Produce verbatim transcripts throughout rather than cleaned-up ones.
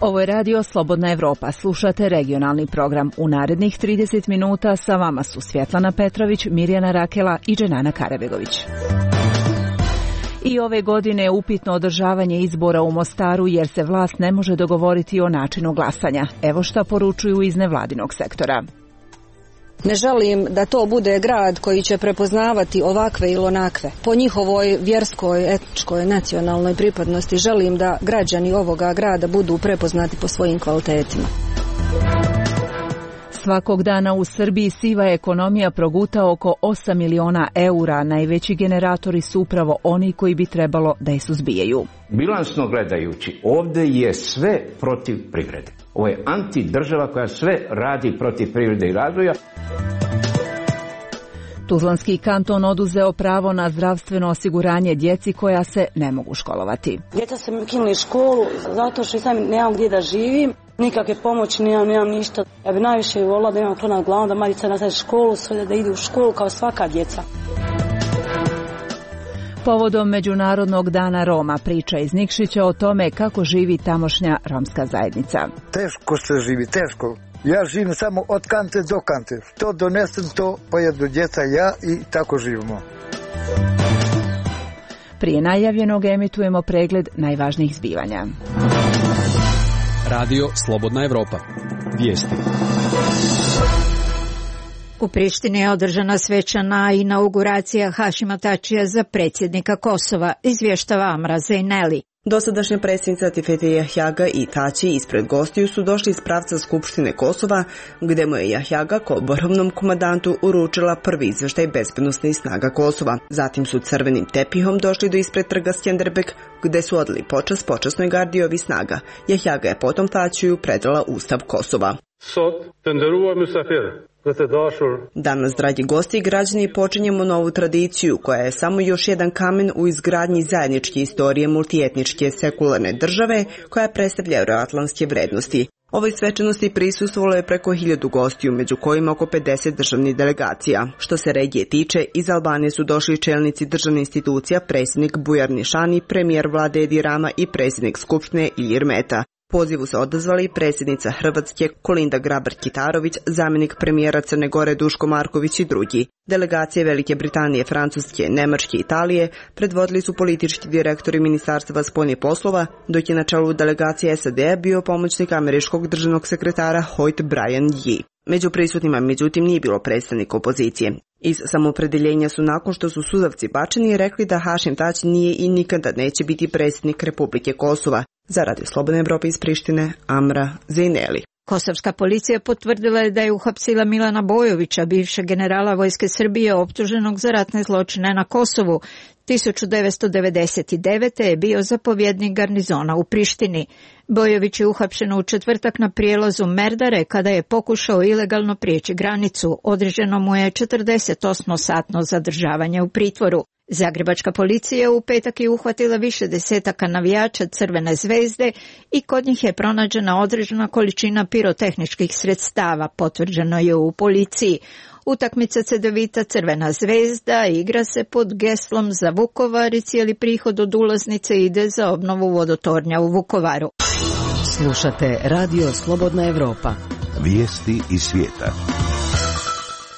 Ovo je radio Slobodna Evropa. Slušate regionalni program. U narednih trideset minuta sa vama su Svjetlana Petrović, Mirjana Rakela i Dženana Karabegović. I ove godine je upitno održavanje izbora u Mostaru jer se vlast ne može dogovoriti o načinu glasanja. Evo šta poručuju iz nevladinog sektora. Ne želim da to bude grad koji će prepoznavati ovakve ili onakve. Po njihovoj vjerskoj, etničkoj, nacionalnoj pripadnosti želim da građani ovoga grada budu prepoznati po svojim kvalitetima. Svakog dana u Srbiji siva ekonomija proguta oko osam miliona eura. Najveći generatori su upravo oni koji bi trebalo da je suzbijaju. Bilansno gledajući, ovdje je sve protiv privrede. Ovo je antidržava koja sve radi protiv privrede i razvoja. Tuzlanski kanton oduzeo pravo na zdravstveno osiguranje djeci koja se ne mogu školovati. Djeca se ukinuli školu zato što sam nemam gdje da živim. Nikakve pomoći nemam, nemam ništa. Ja bi najviše volila da imam to nad glavom, da Marica nastaje školu, sve da idu u školu kao svaka djeca. Povodom Međunarodnog dana Roma priča iz Nikšića o tome kako živi tamošnja romska zajednica. Teško se živi, teško. Ja živim samo od kante do kante. Što donesem, to pojedu djeca, ja i tako živimo. Prije najavljenog emitujemo pregled najvažnijih zbivanja. Radio Slobodna Evropa. Vijesti. U Prištini je održana svečana inauguracija Hašima Tačija za predsjednika Kosova, izvještava Amra Zejneli. Dosadašnja predsjednica Tifete Jahjaga i Tači ispred gostiju su došli iz pravca Skupštine Kosova, gdje mu je Jahjaga kao vrhovnom komandantu uručila prvi izvještaj bezbednosnih snaga Kosova. Zatim su crvenim tepihom došli do ispred trga Skjenderbeg, gdje su odali počast počasnoj gardi ovih snaga. Jahjaga je potom Tačiju predala Ustav Kosova. Danas, dragi gosti i građani, počinjemo novu tradiciju koja je samo još jedan kamen u izgradnji zajedničke istorije multietničke sekularne države koja predstavlja euroatlantske vrednosti. Ovoj svečanosti prisustvovalo je preko hiljadu gostiju, među kojima oko pedeset državnih delegacija. Što se regije tiče, iz Albanije su došli čelnici državnih institucija, predsjednik Bujar Nišani, premijer vlade Edi Rama i predsjednik Skupštine Ilir Meta. Pozivu se odazvali predsjednica Hrvatske Kolinda Grabar-Kitarović, zamjenik premijera Crne Gore Duško Marković i drugi. Delegacije Velike Britanije, Francuske, Nemačke i Italije predvodili su politički direktori Ministarstva spoljnih poslova, dok je na čelu delegacije S A D bio pomoćnik američkog državnog sekretara Hoyt Brian Yee. Među prisutnima, međutim, nije bilo predstavnika opozicije. Iz samoopredjeljenja su, nakon što su suzavci bačeni, rekli da Hašim Tači nije i nikada neće biti predsjednik Republike Kosova. Za Radio Slobodne Evrope iz Prištine, Amra Zejneli. Kosovska policija potvrdila je da je uhapsila Milana Bojovića, bivšeg generala Vojske Srbije optuženog za ratne zločine na Kosovu. tisuću devetsto devedeset devete. je bio zapovjednik garnizona u Prištini. Bojović je uhapšen u četvrtak na prijelazu Merdare kada je pokušao ilegalno prijeći granicu. Određeno mu je četrdesetosmosatno zadržavanje u pritvoru. Zagrebačka policija u petak je uhvatila više desetaka navijača Crvene zvezde i kod njih je pronađena određena količina pirotehničkih sredstava, potvrđeno je u policiji. Utakmica Cedevita Crvena zvezda igra se pod geslom za Vukovar i cijeli prihod od ulaznice ide za obnovu vodotornja u Vukovaru. Slušate Radio Slobodna Evropa. Vijesti iz svijeta.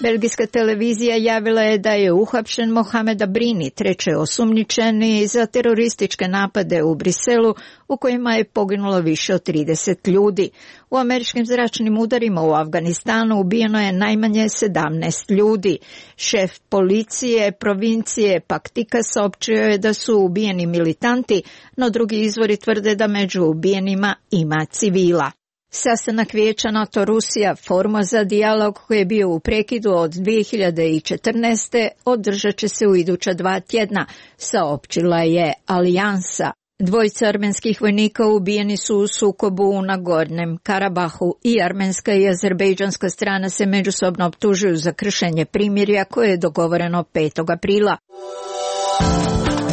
Belgijska televizija javila je da je uhapšen Mohamed Abrini, treći osumnjičeni za terorističke napade u Briselu, u kojima je poginulo više od trideset ljudi. U američkim zračnim udarima u Afganistanu ubijeno je najmanje sedamnaest ljudi. Šef policije provincije Paktika saopćio je da su ubijeni militanti, no drugi izvori tvrde da među ubijenima ima civila. Sastanak Vijeća NATO Rusija, forma za dijalog koji je bio u prekidu od dvije hiljade četrnaeste. održat će se u iduća dva tjedna, saopćila je Alijansa. Dvojica armenskih vojnika ubijeni su u sukobu u Nagornem Karabahu i armenska i azerbejdžanska strana se međusobno optužuju za kršenje primirja koje je dogovoreno petog aprila.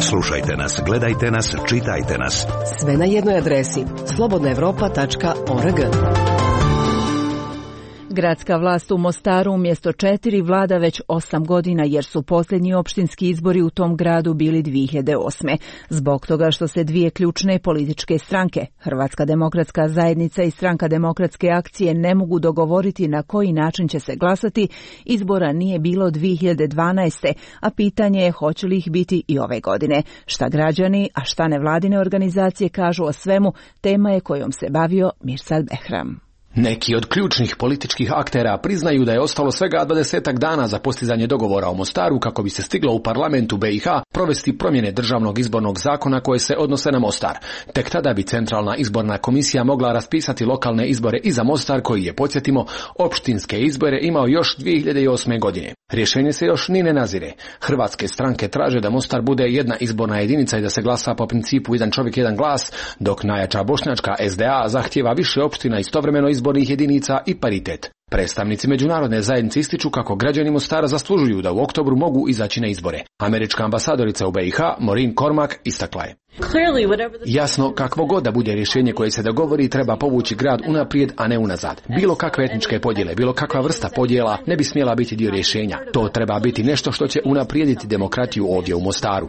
Slušajte nas, gledajte nas, čitajte nas. Sve na jednoj adresi slobodna evropa tačka org. Gradska vlast u Mostaru umjesto četiri vlada već osam godina jer su posljednji opštinski izbori u tom gradu bili dvije hiljade osme. Zbog toga što se dvije ključne političke stranke, Hrvatska demokratska zajednica i Stranka demokratske akcije, ne mogu dogovoriti na koji način će se glasati, izbora nije bilo dvije hiljade dvanaeste. a pitanje je hoće li ih biti i ove godine. Šta građani, a šta nevladine organizacije kažu o svemu, tema je kojom se bavio Mirsad Behram. Neki od ključnih političkih aktera priznaju da je ostalo svega dvadesetak dana za postizanje dogovora o Mostaru kako bi se stiglo u parlamentu B i H provesti promjene državnog izbornog zakona koje se odnose na Mostar. Tek tada bi Centralna izborna komisija mogla raspisati lokalne izbore i za Mostar koji je, podsjetimo, opštinske izbore imao još dvije hiljade osme. godine. Rješenje se još ni ne nazire. Hrvatske stranke traže da Mostar bude jedna izborna jedinica i da se glasa po principu jedan čovjek, jedan glas, dok najjača bošnjačka S D A zahtijeva više opština, istovremeno izbornih jedinica i paritet. Predstavnici međunarodne zajednice ističu kako građani Mostara zaslužuju da u oktobru mogu izaći na izbore. Američka ambasadorica u B i H, Maureen Cormack, istakla je: Jasno, kakvo god da bude rješenje koje se dogovori, treba povući grad unaprijed, a ne unazad. Bilo kakve etničke podjele, bilo kakva vrsta podjela ne bi smjela biti dio rješenja. To treba biti nešto što će unaprijediti demokratiju ovdje u Mostaru.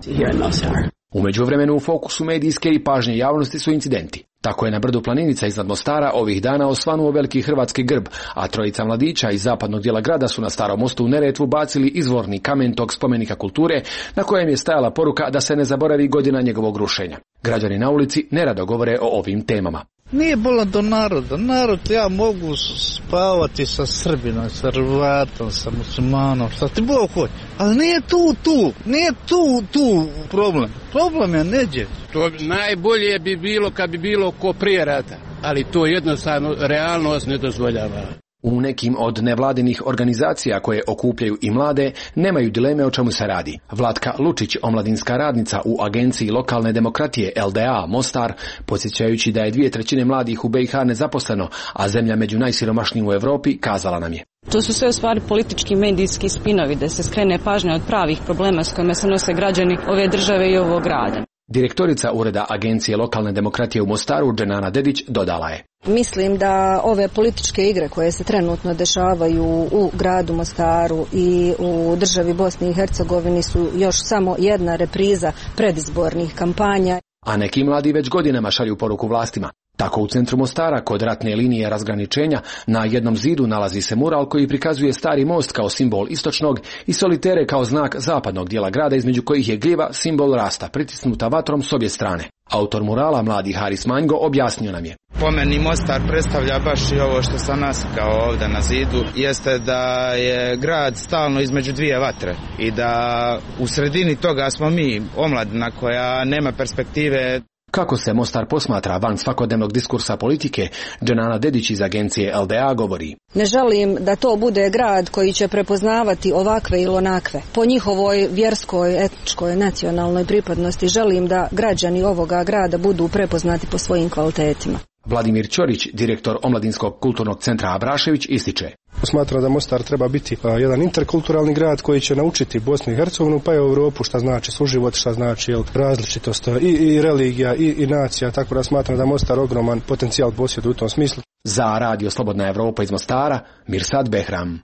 U međuvremenu u fokusu medijske i pažnje javnosti su incidenti. Tako je na brdu Planinica iznad Mostara ovih dana osvanuo veliki hrvatski grb, a trojica mladića iz zapadnog dijela grada su na Starom mostu u Neretvu bacili izvorni kamen tog spomenika kulture na kojem je stajala poruka da se ne zaboravi godina njegovog rušenja. Građani na ulici nerado govore o ovim temama. Nije bola do naroda. Narod, ja mogu spavati sa Srbinom, sa Hrvatom, sa muslimanom, šta ti Bog hoće. Ali nije tu, tu, nije tu, tu problem. Problem je neđe. To najbolje bi bilo kad bi bilo ko prije rata, ali to jednostavno realnost ne dozvoljava. U nekim od nevladinih organizacija koje okupljaju i mlade nemaju dileme o čemu se radi. Vlatka Lučić, omladinska radnica u Agenciji lokalne demokratije L D A Mostar, podsjećajući da je dvije trećine mladih u B i H nezaposleno, a zemlja među najsiromašnijim u Europi, kazala nam je: To su sve u stvari politički medijski spinovi da se skrene pažnja od pravih problema s kojima se nose građani ove države i ovog grada. Direktorica Ureda Agencije lokalne demokratije u Mostaru, Dženana Dedić, dodala je: Mislim da ove političke igre koje se trenutno dešavaju u gradu Mostaru i u državi Bosni i Hercegovini su još samo jedna repriza predizbornih kampanja. A neki mladi već godinama šalju poruku vlastima. Tako u centru Mostara, kod ratne linije razgraničenja, na jednom zidu nalazi se mural koji prikazuje Stari most kao simbol istočnog i solitere kao znak zapadnog dijela grada, između kojih je gljiva simbol rasta, pritisnuta vatrom s obje strane. Autor murala, mladi Haris Manjgo, objasnio nam je: Po meni Mostar predstavlja baš i ovo što sam nasikao ovdje na zidu, jeste da je grad stalno između dvije vatre i da u sredini toga smo mi, omladina koja nema perspektive. Kako se Mostar posmatra van svakodnevnog diskursa politike, Dženana Dedić iz agencije L D A govori: Ne želim da to bude grad koji će prepoznavati ovakve ili onakve. Po njihovoj vjerskoj, etničkoj, nacionalnoj pripadnosti želim da građani ovoga grada budu prepoznati po svojim kvalitetima. Vladimir Ćorić, direktor Omladinskog kulturnog centra Abrašević, ističe: Smatra da Mostar treba biti a, jedan interkulturalni grad koji će naučiti Bosnu i Hercegovinu pa i Europu šta znači suživot, šta znači jel, različitost i, i religija i, i nacija, tako da smatram da Mostar ogroman potencijal posjeduje u tom smislu. Za Radio Slobodna Evropa iz Mostara, Mirsad Behram.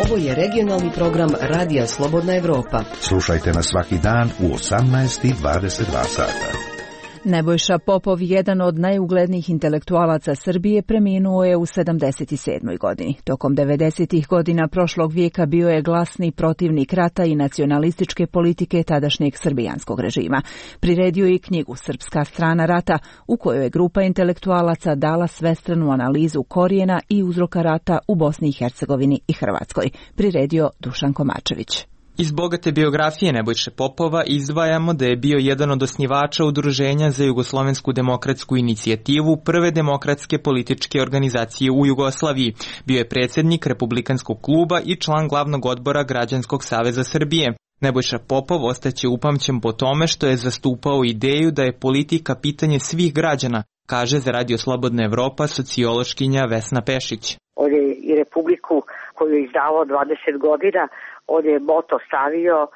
Ovo je regionalni program Radija Slobodna Evropa. Slušajte nas svaki dan u osamnaest i dvadeset dva sata. Nebojša Popov, jedan od najuglednijih intelektualaca Srbije, preminuo je u sedamdeset sedmoj godini. Tokom devedesetih godina prošlog vijeka bio je glasni protivnik rata i nacionalističke politike tadašnjeg srbijanskog režima. Priredio je i knjigu Srpska strana rata, u kojoj je grupa intelektualaca dala svestranu analizu korijena i uzroka rata u Bosni i Hercegovini i Hrvatskoj. Priredio Dušan Komačević. Iz bogate biografije Nebojše Popova izdvajamo da je bio jedan od osnivača Udruženja za jugoslovensku demokratsku inicijativu, prve demokratske političke organizacije u Jugoslaviji. Bio je predsjednik Republikanskog kluba i član glavnog odbora Građanskog saveza Srbije. Nebojša Popov ostaće upamćen po tome što je zastupao ideju da je politika pitanje svih građana, kaže za Radio Slobodna Evropa sociološkinja Vesna Pešić. On je i Republiku koju je izdavao dvadeset godina, on je moto stavio uh,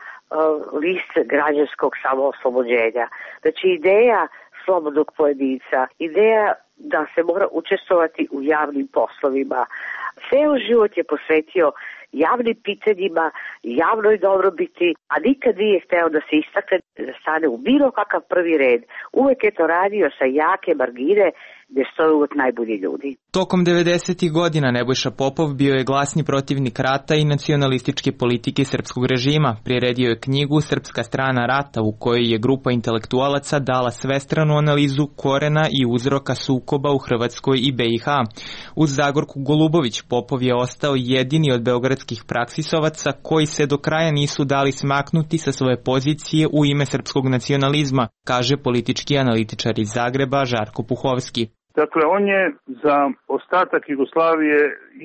list građanskog samooslobođenja. Znači ideja slobodnog pojedinca, ideja da se mora učestvovati u javnim poslovima, Ceo život je posvetio javnim pitanjima, javnoj dobrobiti, a nikad nije hteo da se istakne, da stane u bilo kakav prvi red. Uvek je to radio sa jake margine gde stoje uvek najbolji ljudi. Tokom devedesetih godina Nebojša Popov bio je glasni protivnik rata i nacionalističke politike srpskog režima. Priredio je knjigu Srpska strana rata u kojoj je grupa intelektualaca dala svestranu analizu korena i uzroka sukoba u Hrvatskoj i be i ha. Uz Zagorku Golubović Popov je ostao jedini od beogradskih praksisovaca koji se do kraja nisu dali smaknuti sa svoje pozicije u ime srpskog nacionalizma, kaže politički analitičar iz Zagreba Žarko Puhovski. Dakle, on je za ostatak Jugoslavije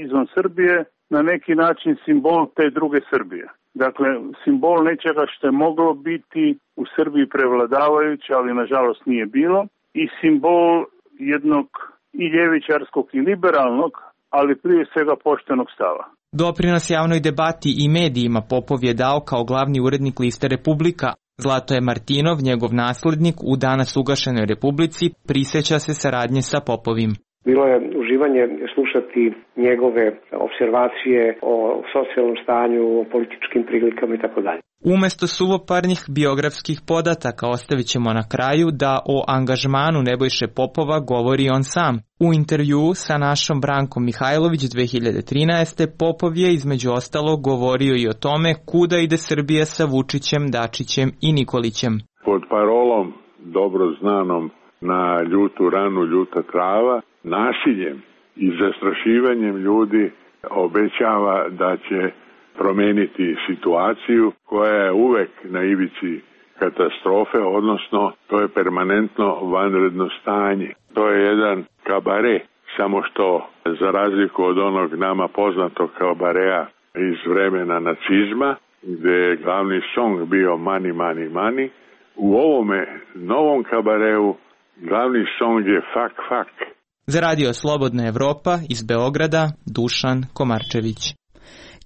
izvan Srbije na neki način simbol te druge Srbije. Dakle, simbol nečega što je moglo biti u Srbiji prevladavajuće, ali nažalost nije bilo, i simbol jednog i ljevičarskog i liberalnog, ali prije svega poštenog stava. Doprinos javnoj debati i medijima Popov je dao kao glavni urednik liste Republika. Zlatoje Martinov, njegov naslednik, u danas ugašenoj Republici, prisjeća se saradnje sa Popovim. Bilo je uživanje slušati njegove observacije o socijalnom stanju, o političkim prilikama i tako dalje. Umesto suvoparnih biografskih podataka ostavit ćemo na kraju da o angažmanu Nebojše Popova govori on sam. U intervjuu sa našom Brankom Mihajlović dve hiljade trinaeste. Popov je između ostalog govorio i o tome kuda ide Srbija sa Vučićem, Dačićem i Nikolićem. Pod parolom dobro znanom na ljutu ranu, ljuta trava, nasiljem i zastrašivanjem ljudi obećava da će promeniti situaciju koja je uvek na ivici katastrofe, odnosno to je permanentno vanredno stanje. To je jedan kabare, samo što za razliku od onog nama poznatog kabarea iz vremena nacizma, gde je glavni song bio money, money, money, u ovome novom kabareu glavni song je fuck, fuck. Za Radio Slobodna Evropa iz Beograda, Dušan Komarčević.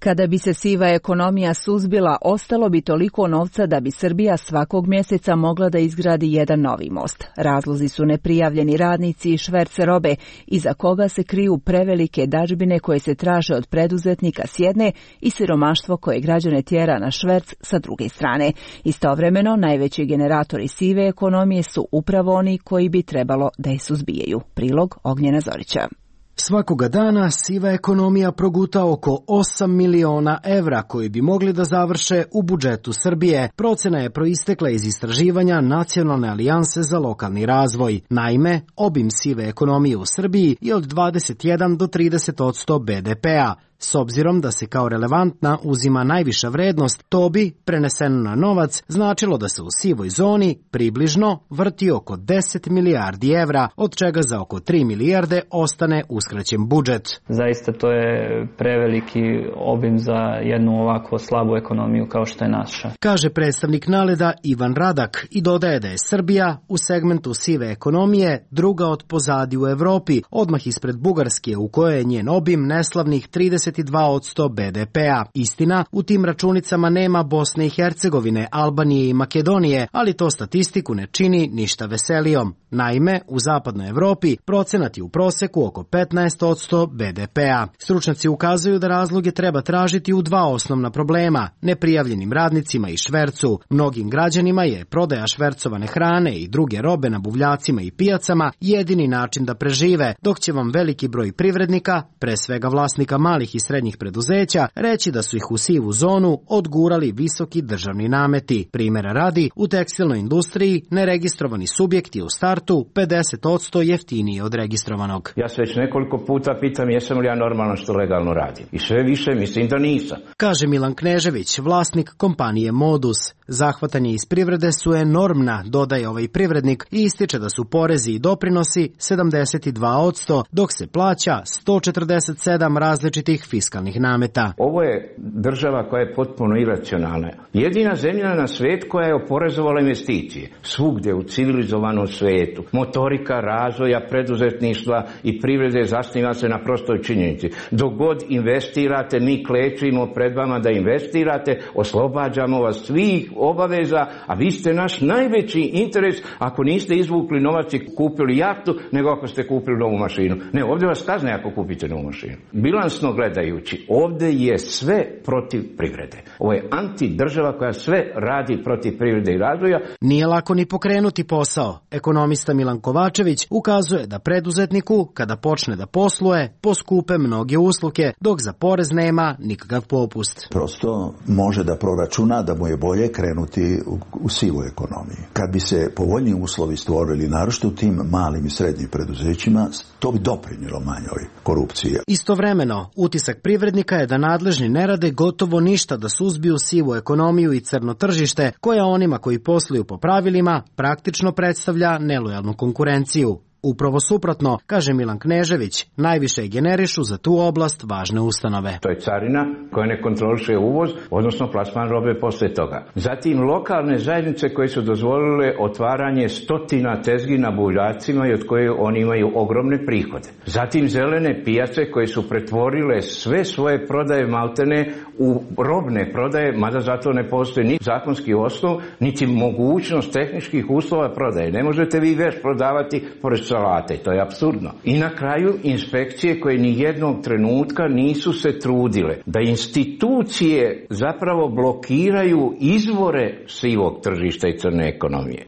Kada bi se siva ekonomija suzbila, ostalo bi toliko novca da bi Srbija svakog mjeseca mogla da izgradi jedan novi most. Razlozi su neprijavljeni radnici i šverce robe, iza koga se kriju prevelike dažbine koje se traže od preduzetnika s jedne i siromaštvo koje građane tjera na šverc sa druge strane. Istovremeno, najveći generatori sive ekonomije su upravo oni koji bi trebalo da je suzbijaju. Prilog Ognjena Zorića. Svakoga dana siva ekonomija proguta oko osam miliona evra koji bi mogli da završe u budžetu Srbije. Procena je proistekla iz istraživanja Nacionalne alijanse za lokalni razvoj. Naime, obim sive ekonomije u Srbiji je od dvadeset jedan do trideset posto be de pea. S obzirom da se kao relevantna uzima najviša vrednost, to bi, preneseno na novac, značilo da se u sivoj zoni približno vrti oko deset milijardi evra, od čega za oko tri milijarde ostane uskraćen budžet. Zaista to je preveliki obim za jednu ovako slabu ekonomiju kao što je naša. Kaže predstavnik Naleda Ivan Radak i dodaje da je Srbija u segmentu sive ekonomije druga od pozadi u Evropi, odmah ispred Bugarske u kojoj je njen obim neslavnih trideset dva posto be de pea. Istina, u tim računicama nema Bosne i Hercegovine, Albanije i Makedonije, ali to statistiku ne čini ništa veselijom. Naime, u zapadnoj Evropi procenat je u proseku oko petnaest posto be de pea. Stručnjaci ukazuju da razloge treba tražiti u dva osnovna problema, neprijavljenim radnicima i švercu. Mnogim građanima je prodaja švercovane hrane i druge robe na buvljacima i pijacama jedini način da prežive, dok će vam veliki broj privrednika, pre svega vlasnika malih i srednjih preduzeća, reći da su ih u sivu zonu odgurali visoki državni nameti. Primjera radi, u tekstilnoj industriji neregistrovani subjekt je u startu pedeset posto jeftiniji od registrovanog. Ja se već nekoliko puta pitam jesam li ja normalno što legalno radim. I sve više mislim da nisam. Kaže Milan Knežević, vlasnik kompanije Modus. Zahvatanje iz privrede su enormna, dodaje ovaj privrednik i ističe da su porezi i doprinosi sedamdeset dva posto, dok se plaća sto četrdeset sedam različitih fiskalnih nameta. Ovo je država koja je potpuno iracionalna. Jedina zemlja na svijetu koja je oporezovala investicije. Svugdje u civilizovanom svijetu. Motorika razvoja, preduzetništva i privrede zasniva se na prostoj činjenici. Dok god investirate, mi klečimo pred vama da investirate, oslobađamo vas svih obaveza, a vi ste naš najveći interes ako niste izvukli novac i kupili jahtu, nego ako ste kupili novu mašinu. Ne, ovdje vas kazne ako kupite novu mašinu. Bilansno gledajući, ovdje je sve protiv privrede. Ovo je antidržava koja sve radi protiv privrede i razvoja. Nije lako ni pokrenuti posao. Ekonomista Milan Kovačević ukazuje da preduzetniku, kada počne da posluje, poskupe mnoge usluge, dok za porez nema nikakav popust. Prosto može da proračuna da mu je bolje krenuti u, u sivu ekonomiju. Kad bi se povoljniji uslovi stvorili, naročito u tim malim i srednjim preduzećima, to bi doprinjelo manjoj korupciji. Istovremeno, utisak privrednika je da nadležni ne rade gotovo ništa da suzbiju sivu ekonomiju i crno tržište, koja onima koji posluju po pravilima praktično predstavlja nelojalnu konkurenciju. Upravo suprotno, kaže Milan Knežević, najviše generišu za tu oblast važne ustanove. To je carina koja ne kontroliše uvoz, odnosno plasman robe poslije toga. Zatim lokalne zajednice koje su dozvolile otvaranje stotina tezgi na buljacima i od koje oni imaju ogromne prihode. Zatim zelene pijace koje su pretvorile sve svoje prodaje maltene u robne prodaje, mada zato ne postoji ni zakonski osnov, niti mogućnost tehničkih uslova prodaje. Ne možete vi već prodavati pored salate, to je apsurdno. I na kraju inspekcije koje ni jednog trenutka nisu se trudile da institucije zapravo blokiraju izvore sivog tržišta i crne ekonomije.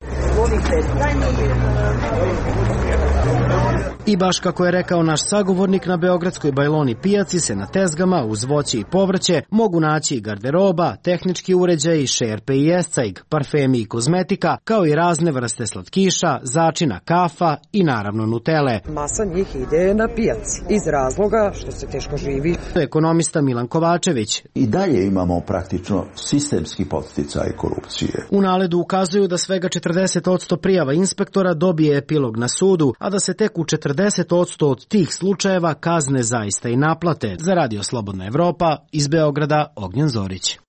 I baš kako je rekao naš sagovornik, na beogradskoj Bajloni pijaci se na tezgama uz voće i povrće mogu naći garderoba, tehnički uređaji, šerpe i escajg, parfemi i kozmetika, kao i razne vrste slatkiša, začina, kafa i naravno nutele. Masa njih ide na pijaci iz razloga što se teško živi. Ekonomista Milan Kovačević. I dalje imamo praktično sistemski podsticaj korupcije. U naledu ukazuju da svega četrdeset posto prijava inspektora dobije epilog na sudu, a da se tek u četrdeset posto od tih slučajeva kazne zaista i naplate. Za Radio Slobodna Evropa, iz Beograda, Ognjen Zorić.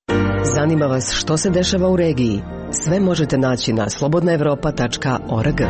Zanima vas što se dešava u regiji? Sve možete naći na slobodna evropa tačka org.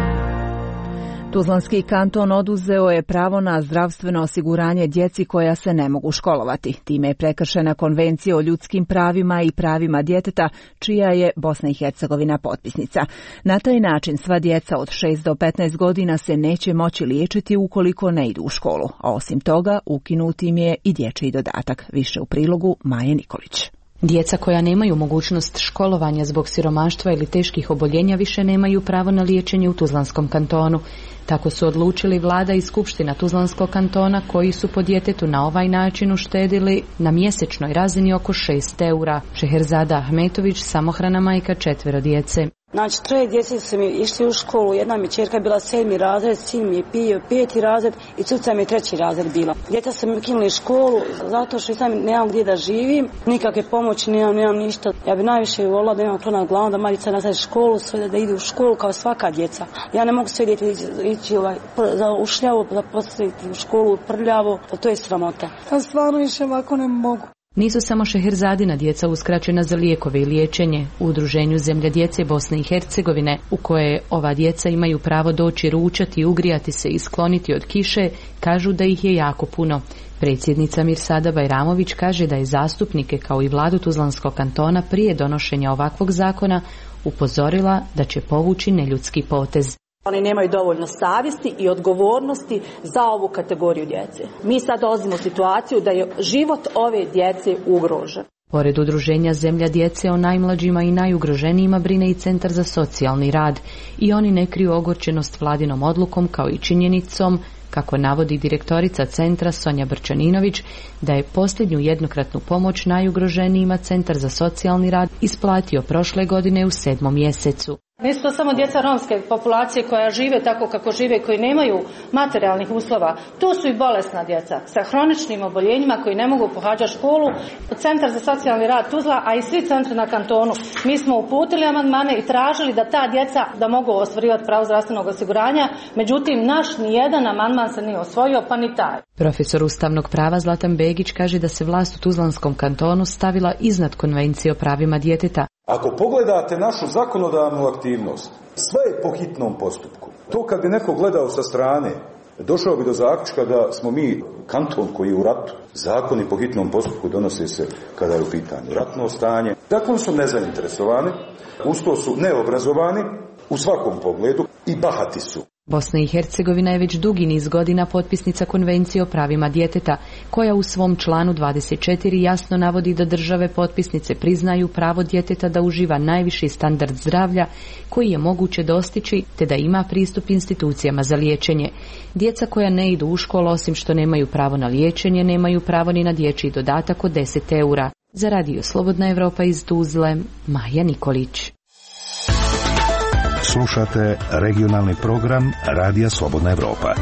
Tuzlanski kanton oduzeo je pravo na zdravstveno osiguranje djeci koja se ne mogu školovati. Time je prekršena Konvencija o ljudskim pravima i pravima djeteta, čija je Bosna i Hercegovina potpisnica. Na taj način sva djeca od šest do petnaest godina se neće moći liječiti ukoliko ne idu u školu. A osim toga, ukinut im je i dječji dodatak. Više u prilogu Maje Nikolić. Djeca koja nemaju mogućnost školovanja zbog siromaštva ili teških oboljenja više nemaju pravo na liječenje u Tuzlanskom kantonu. Tako su odlučili vlada i skupština Tuzlanskog kantona, koji su po djetetu na ovaj način uštedili na mjesečnoj razini oko šest eura. Šeherzada Ahmetović, samohrana majka četvero djece. Znači, troje djece su mi išli u školu, jedna mi čerka bila sedmi razred, sin mi je pio peti razred i cuca mi je treći razred bila. Djeca su mi ukinuli školu zato što sam nemam gdje da živim, nikakve pomoći nemam, nemam ništa. Ja bi najviše volila da imam to nad glavom, da moja djeca nastavi školu, sve da idu u školu kao svaka djeca. Ja ne mogu sve djeti ići, ići ovaj, za ušljavo, da postaviti u školu prljavo, pa to je sramota. Ja stvarno više ovako ne mogu. Nisu samo Šeherzadina djeca uskraćena za lijekove i liječenje. U udruženju Zemlja djece Bosne i Hercegovine, u koje ova djeca imaju pravo doći ručati, ugrijati se i skloniti od kiše, kažu da ih je jako puno. Predsjednica Mirsada Bajramović kaže da je zastupnike kao i vladu Tuzlanskog kantona prije donošenja ovakvog zakona upozorila da će povući neljudski potez. Oni nemaju dovoljno savjesti i odgovornosti za ovu kategoriju djece. Mi sad dolazimo u situaciju da je život ove djece ugrožen. Pored udruženja Zemlja djece o najmlađima i najugroženijima brine i Centar za socijalni rad. I oni ne kriju ogorčenost vladinom odlukom, kao i činjenicom, kako navodi direktorica centra Sonja Brčaninović, da je posljednju jednokratnu pomoć najugroženijima Centar za socijalni rad isplatio prošle godine u sedmom mjesecu. Nisu to samo djeca romske populacije koja žive tako kako žive, koji nemaju materijalnih uslova. Tu su i bolesna djeca sa hroničnim oboljenjima koji ne mogu pohađati školu. Centar za socijalni rad Tuzla, a i svi centri na kantonu, mi smo uputili amandmane i tražili da ta djeca da mogu ostvarivati pravo zdravstvenog osiguranja, međutim naš nijedan amandman se nije osvojio, pa ni taj. Profesor ustavnog prava Zlatan Begić kaže da se vlast u Tuzlanskom kantonu stavila iznad Konvencije o pravima djeteta. Ako pogledate našu zakonodavnu aktivnost, sve je po hitnom postupku. To kad bi neko gledao sa strane, došao bi do zaključka da smo mi kanton koji je u ratu. Zakoni po hitnom postupku donose se kada je u pitanju ratno stanje. Dakle, su nezainteresovani, usto su neobrazovani u svakom pogledu i bahati su. Bosna i Hercegovina je već dugi niz godina potpisnica Konvencije o pravima djeteta, koja u svom članu dvadeset četiri jasno navodi da države potpisnice priznaju pravo djeteta da uživa najviši standard zdravlja koji je moguće dostići, te da ima pristup institucijama za liječenje. Djeca koja ne idu u školu, osim što nemaju pravo na liječenje, nemaju pravo ni na dječji dodatak od deset eura. Za Radio Slobodna Evropa iz Tuzle, Maja Nikolić. Slušate regionalni program Radija Slobodna Evropa.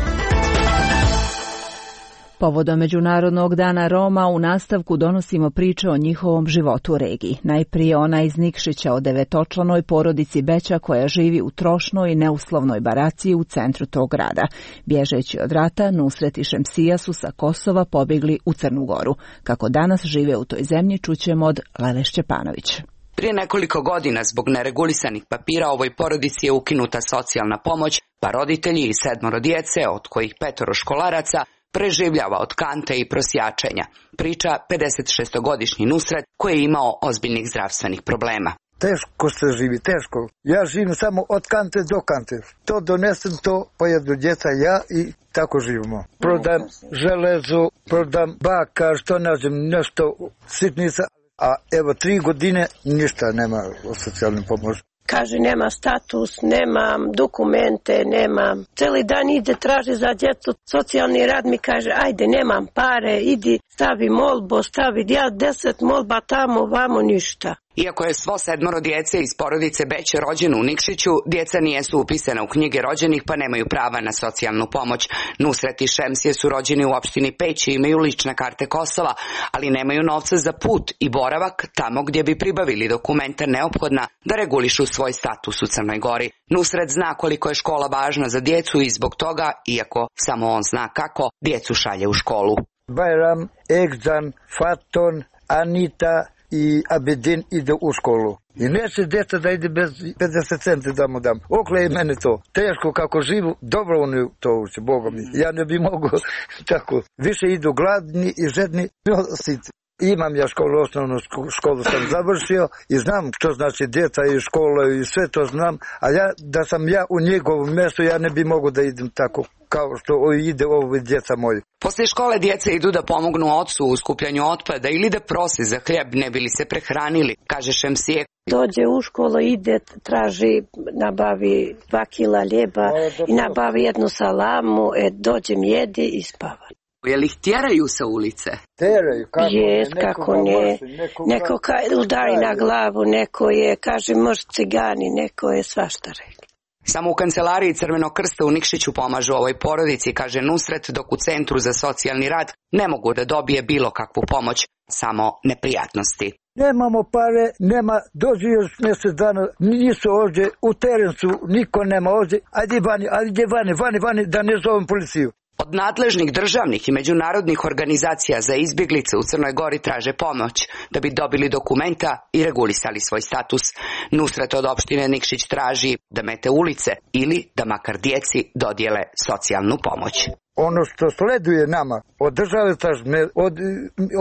Povodom Međunarodnog dana Roma u nastavku donosimo priče o njihovom životu u regiji. Najprije ona iz Nikšića o devetočlanoj porodici Beća koja živi u trošnoj i neuslovnoj baraciji u centru tog grada. Bježeći od rata, Nusret i Šemsija su sa Kosova pobjegli u Crnu Goru. Kako danas žive u toj zemlji, čućemo od Lele Šćepanović. Prije nekoliko godina zbog neregulisanih papira ovoj porodici je ukinuta socijalna pomoć, pa roditelji i sedmoro djece, od kojih petoro školaraca, preživljava od kante i prosjačenja. Priča pedesetšestogodišnji Nusret koji je imao ozbiljnih zdravstvenih problema. Teško se živi, teško. Ja živim samo od kante do kante. To donesem, to pojedu djeca, ja i tako živimo. Prodam železu, prodam baka, što nađem, nešto sitnica. A evo tri godine ništa nema o socijalnoj pomoći. Kaže nema status, nemam dokumente, nemam. Cijeli dan ide traži za djecu. Socijalni rad mi kaže ajde nemam pare, idi stavi molbo, stavi ja deset molba tamo, vamo ništa. Iako je svo sedmoro djece iz porodice Beće rođeno u Nikšiću, djeca nijesu upisana u knjige rođenih pa nemaju prava na socijalnu pomoć. Nusret i Šemsije su rođeni u opštini Peć i imaju lične karte Kosova, ali nemaju novca za put i boravak tamo gdje bi pribavili dokumenta neophodna da regulišu svoj status u Crnoj Gori. Nusret zna koliko je škola važna za djecu i zbog toga, iako samo on zna kako, djecu šalje u školu. Bajram, Egzan, Faton, Anita i Abedin ide u školu. I neće djeca da ide bez pedeset centi da mu dam. Okle je mene to. Teško kako živu, dobro oni to uče, Boga mi. Ja ne bi mogao tako. Više idu gladni i žedni. Imam ja školu, osnovnu školu sam završio i znam što znači djeca i škola i sve to znam. A ja, da sam ja u njegovom mjestu, ja ne bi mogao da idem tako kao što ide ovo djeca moji. Poslije škole djeca idu da pomognu ocu u skupljanju otpada ili da prose za hljeb ne bi li se prehranili, kaže Šemsije. Dođe u školu, ide, traži, nabavi dva kila ljeba i nabavi jednu salamu, e, dođem, jedi i spava. Je li ih tjeraju sa ulice? Tjeraju, kako Jest, ne, kako ne. Neko, neko ka, udari na glavu, neko je, kaže, možda cigani, neko je svašta rekli. Samo u kancelariji Crvenog krsta u Nikšiću pomažu ovoj porodici, kaže Nusret, dok u Centru za socijalni rad ne mogu da dobije bilo kakvu pomoć, samo neprijatnosti. Nemamo pare, nema, dođi još mjesec dana, nisu ovdje, u terencu, niko nema ovdje, ajde vani, ajde vani, vani, vani, da ne zovem policiju. Od nadležnih državnih i međunarodnih organizacija za izbjeglice u Crnoj Gori traže pomoć da bi dobili dokumenta i regulisali svoj status. Nusret od opštine Nikšić traži da mete ulice ili da makar djeci dodijele socijalnu pomoć. Ono što sleduje nama, od države tražne, od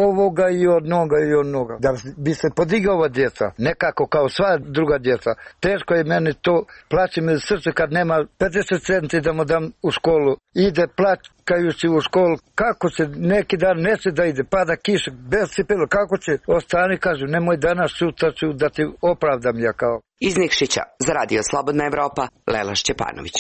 ovoga i od noga i od noga, da bi se podigla ova djeca, nekako kao sva druga djeca. Teško je meni to, plaće me srce kad nema pedeset centi da mu dam u školu. Ide plakajući u školu, kako će neki dan neće da ide, pada kiša, bez cipela, kako će ostani, kažu, nemoj danas, sutra ću da ti opravdam ja kao. Iz Nikšića, za Radio Slobodna Evropa, Lela Šćepanović.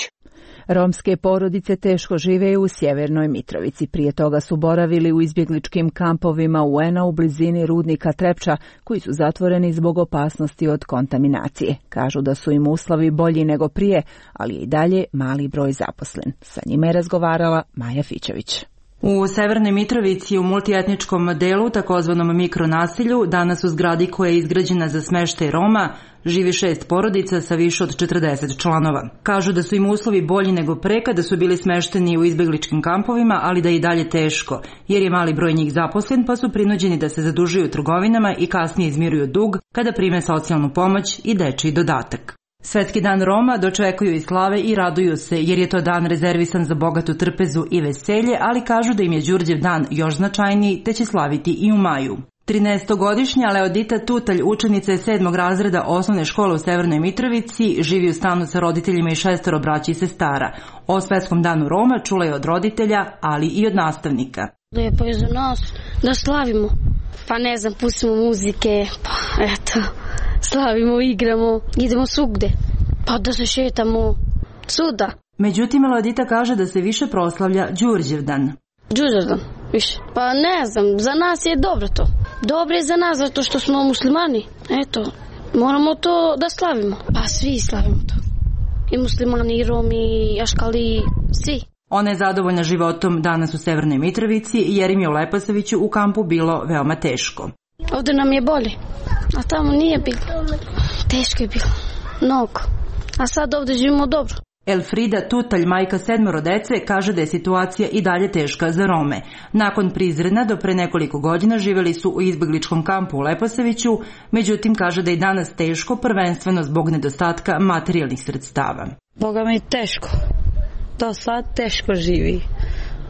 Romske porodice teško žive u Sjevernoj Mitrovici. Prije toga su boravili u izbjegličkim kampovima U N A u blizini rudnika Trepča, koji su zatvoreni zbog opasnosti od kontaminacije. Kažu da su im uslovi bolji nego prije, ali je i dalje mali broj zaposlen. Sa njima je razgovarala Maja Fićević. U Severnoj Mitrovici u multietničkom delu, takozvanom mikronasilju, danas u zgradi koja je izgrađena za smeštaj Roma, živi šest porodica sa više od četrdeset članova. Kažu da su im uslovi bolji nego pre kada su bili smešteni u izbegličkim kampovima, ali da je i dalje teško, jer je mali broj njih zaposlen, pa su prinuđeni da se zadužuju u trgovinama i kasnije izmiruju dug kada prime socijalnu pomoć i dečiji dodatak. Svetski dan Roma dočekuju i slave i raduju se, jer je to dan rezervisan za bogatu trpezu i veselje, ali kažu da im je Đurđev dan još značajniji, te će slaviti i u maju. trinaestogodišnja Leodita Tutalj, učenica je sedmog razreda osnovne škole u Severnoj Mitrovici, živi u stanu sa roditeljima i šestoro braća i sestara. O Svetskom danu Roma čula je od roditelja, ali i od nastavnika. Lijepo je za nas da slavimo. Pa ne znam, pustimo muzike, pa eto, slavimo, igramo, idemo svugde, pa da se šetamo svuda. Međutim, Leodita kaže da se više proslavlja Đurđev dan. Đurđev dan, više. Pa ne znam, za nas je dobro to. Dobro je za nas zato što smo muslimani. Eto, moramo to da slavimo. Pa svi slavimo to. I muslimani, i Romi, i Aškali, svi. Ona je zadovoljna životom danas u Severnoj Mitrovici, jer im je u Leposaviću u kampu bilo veoma teško. Ovdje nam je bolje, a tamo nije bilo. Teško je bilo, mnogo. A sad ovdje živimo dobro. Elfrida Tutalj, majka sedmoro dece, kaže da je situacija i dalje teška za Rome. Nakon Prizrena do pre nekoliko godina živjeli su u izbegličkom kampu u Leposaviću, međutim kaže da je danas teško, prvenstveno zbog nedostatka materijalnih sredstava. Boga mi je teško. Do sad teško živi.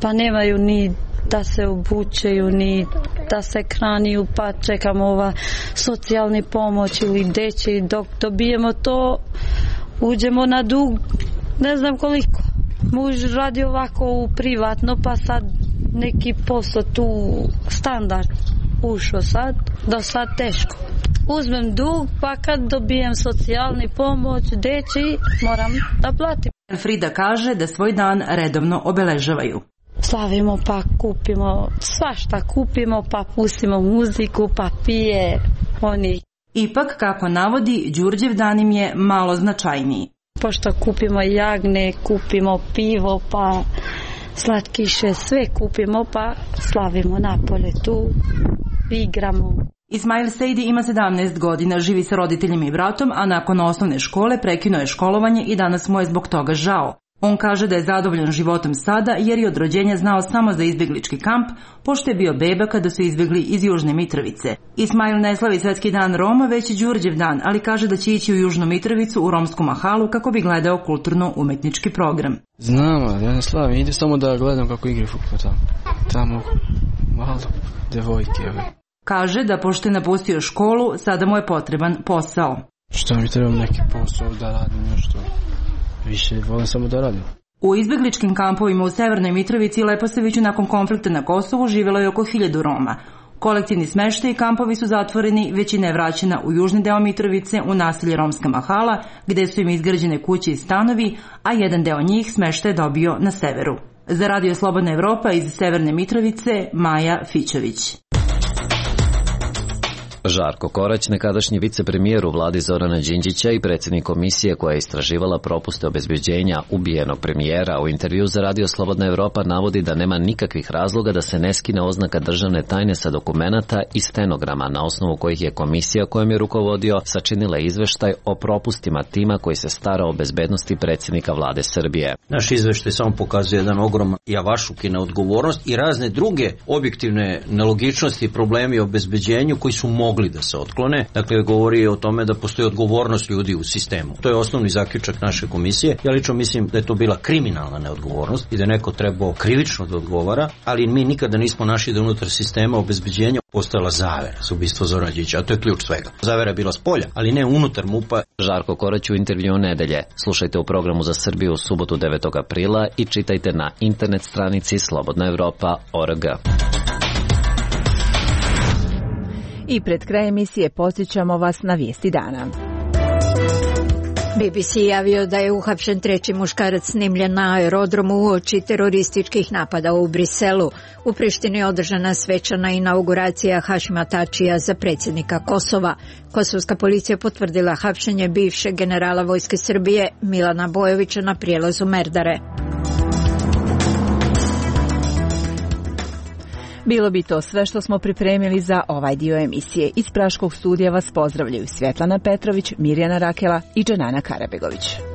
Pa nemaju ni da se obučeju, ni da se hraniju, pa čekamo ova socijalni pomoć ili deći. Dok dobijemo to, uđemo na dug, ne znam koliko. Muž radi ovako u privatno, pa sad neki posao tu standard ušao sad, do sad teško. Uzmem dug, pa kad dobijem socijalni pomoć, deći, moram da platim. Frida kaže da svoj dan redovno obeležavaju. Slavimo, pa kupimo svašta, kupimo, pa pustimo muziku, pa pije oni. Ipak, kako navodi, Đurđev dan im je malo značajniji. Pošto kupimo jagne, kupimo pivo, pa slatkiše, sve kupimo, pa slavimo napolje tu, igramo. Ismail Sejdi ima sedamnaest godina, živi sa roditeljima i bratom, a nakon osnovne škole prekinuo je školovanje i danas mu je zbog toga žao. On kaže da je zadovoljan životom sada jer je od rođenja znao samo za izbjeglički kamp, pošto je bio beba kada su izbjegli iz Južne Mitrovice. Ismail ne slavi Svetski dan Roma, već i Đurđev dan, ali kaže da će ići u Južnu Mitrovicu u romsku mahalu kako bi gledao kulturno-umetnički program. Znam, ja ne slavim, ide samo da gledam kako igra fudbal tamo. Tamo malo devojke. Kaže da pošto je napustio školu, sada mu je potreban posao. Što mi treba neki posao da radim nešto? Više volim samo da radim. U izbjegličkim kampovima u Severnoj Mitrovici i Leposaviću nakon konflikta na Kosovu živjelo je oko hiljadu Roma. Kolektivni smeštaj i kampovi su zatvoreni, većina je vraćena u južni deo Mitrovice u naselje Romska mahala, gde su im izgrađene kuće i stanovi, a jedan deo njih smeštaj je dobio na severu. Za Radio Slobodna Evropa iz Severne Mitrovice, Maja Fićević. Žarko Korać, nekadašnji vicepremijer u vladi Zorana Đinđića i predsjednik komisije koja je istraživala propuste obezbeđenja ubijenog premijera, u intervju za Radio Slobodna Evropa navodi da nema nikakvih razloga da se ne skine oznaka državne tajne sa dokumenata i stenograma, na osnovu kojih je komisija kojom je rukovodio sačinila izveštaj o propustima tima koji se stara o bezbednosti predsjednika vlade Srbije. Naš izveštaj samo pokazuje jedan ogroman javašuk i neodgovornost i razne druge objektivne nelogičnosti i problemi o obezbeđenju koji su mogli da se otklone. Dakle, govori o tome da postoji odgovornost ljudi u sistemu. To je osnovni zaključak naše komisije. Ja lično mislim da je to bila kriminalna neodgovornost i da je neko trebao krivično da odgovara, ali mi nikada nismo našli da unutar sistema obezbeđenja postojala zavera za ubistvo Zorana Đinđića, a to je ključ svega. Zavera je bila spolja, ali ne unutar MUP-a. Žarko Korać u intervju nedelje. Slušajte u programu za Srbiju u subotu devetog aprila i čitajte na internet stranici slobodna evropa tačka org. I pred kraj emisije podsjećamo vas na vijesti dana. B B C javio da je uhapšen treći muškarac snimljen na aerodromu uoči terorističkih napada u Briselu. U Prištini je održana svečana inauguracija Hašima Tačija za predsjednika Kosova. Kosovska policija potvrdila hapšenje bivšeg generala Vojske Srbije Milana Bojovića na prijelazu Merdare. Bilo bi to sve što smo pripremili za ovaj dio emisije. Iz Praškog studija vas pozdravljaju Svjetlana Petrović, Mirjana Rakela i Dženana Karabegović.